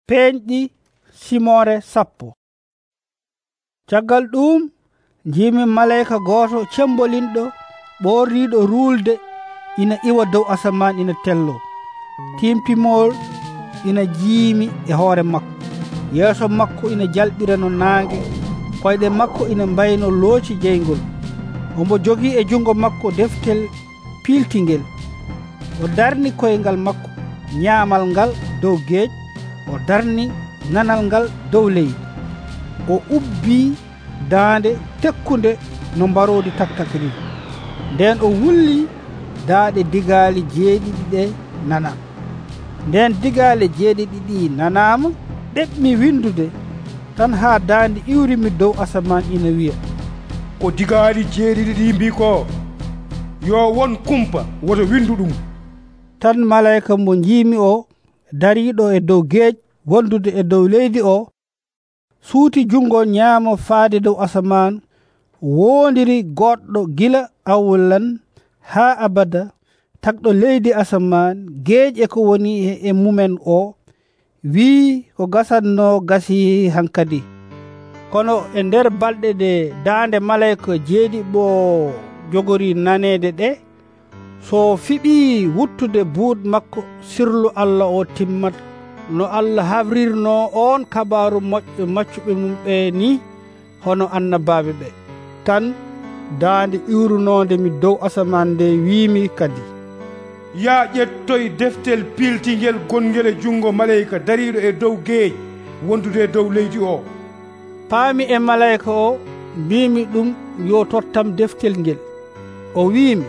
Peeñɗi Simore 10. Caggal ɗum njiimi malayika gooto cembolinɗo ɓorniiɗo ruulde ina iwa dow asaman ina tello. Timpimol ina jiimi e hoore makko. Yeeso makko ina jalɓira no naange, koyɗe makko ina mbayno looci jeyngol. Omo jogii e jungo makko deftel piiltingel. O darni koyngal makko nyaamal ngal dow geej, o darni nanal ngal dow leydi. O ubbii daande tekkunde no mbaroodi taktakri. Nden o wulli daaɗe digaali jeeɗiɗi ɗe nanam. Nden digaale jeeɗiɗi ɗi nanaama, ɗeɓmi windude tan haa daande iwrimi dow asaman ina wiya, ko digaali jeeɗiɗi ɗi mbii ko, yo won kumpa woto windu ɗum. Tan malayika mo njiimi o dariiɗo e dow geej wondude e dow leydi o suuti jungo nyaamo faade dow asaman, woondiri goɗɗo gila awwalan haa abada, tagɗo leydi asaman, geej e ko woni e mumen o, wii ko gasatno gasi hankadi. Kono e nder balɗe ɗe daande malayika jeeɗiɓo jogori naneede ɗe, so fiɓii wuttude buut makko, sirlu Allah o timmat no Allah hawrirno on kabaaru moƴƴo maccuɓe mum ɓe ni hono annabaaɓe ɓe. Tan daande iwrunonde mi dow asaman nde wiimi kadi, yaa ƴettoy deftel piiltingel gongel e jungo malayika dariiɗo e dow geej wondude e dow leydi o. Paami e malayika o, mbiimi ɗum yo tottam deftel ngel. O wiimi,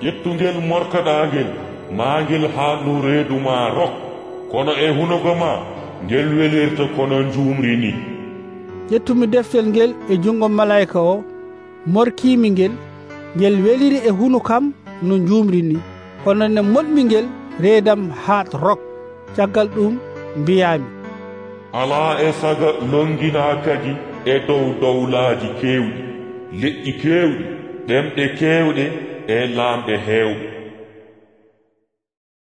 ƴettungel morkaɗaangel maangel haa dow reedu ma rok, kono e hunuko ma ngel welirta kono njuumri ni. ƴettumi deftel ngel e jungo malayika o, morkiimi ngel, ngel weliri e hunukam no njuumri ni, kono ne moɗmi ngel reedam haat rok. Caggal ɗum mbiyaami, alaa e saga longinaa kadi e dow dowlaaji keewɗi, leƴƴi keewɗi, ɗemɗe keewɗe e laamɓe heewɓe.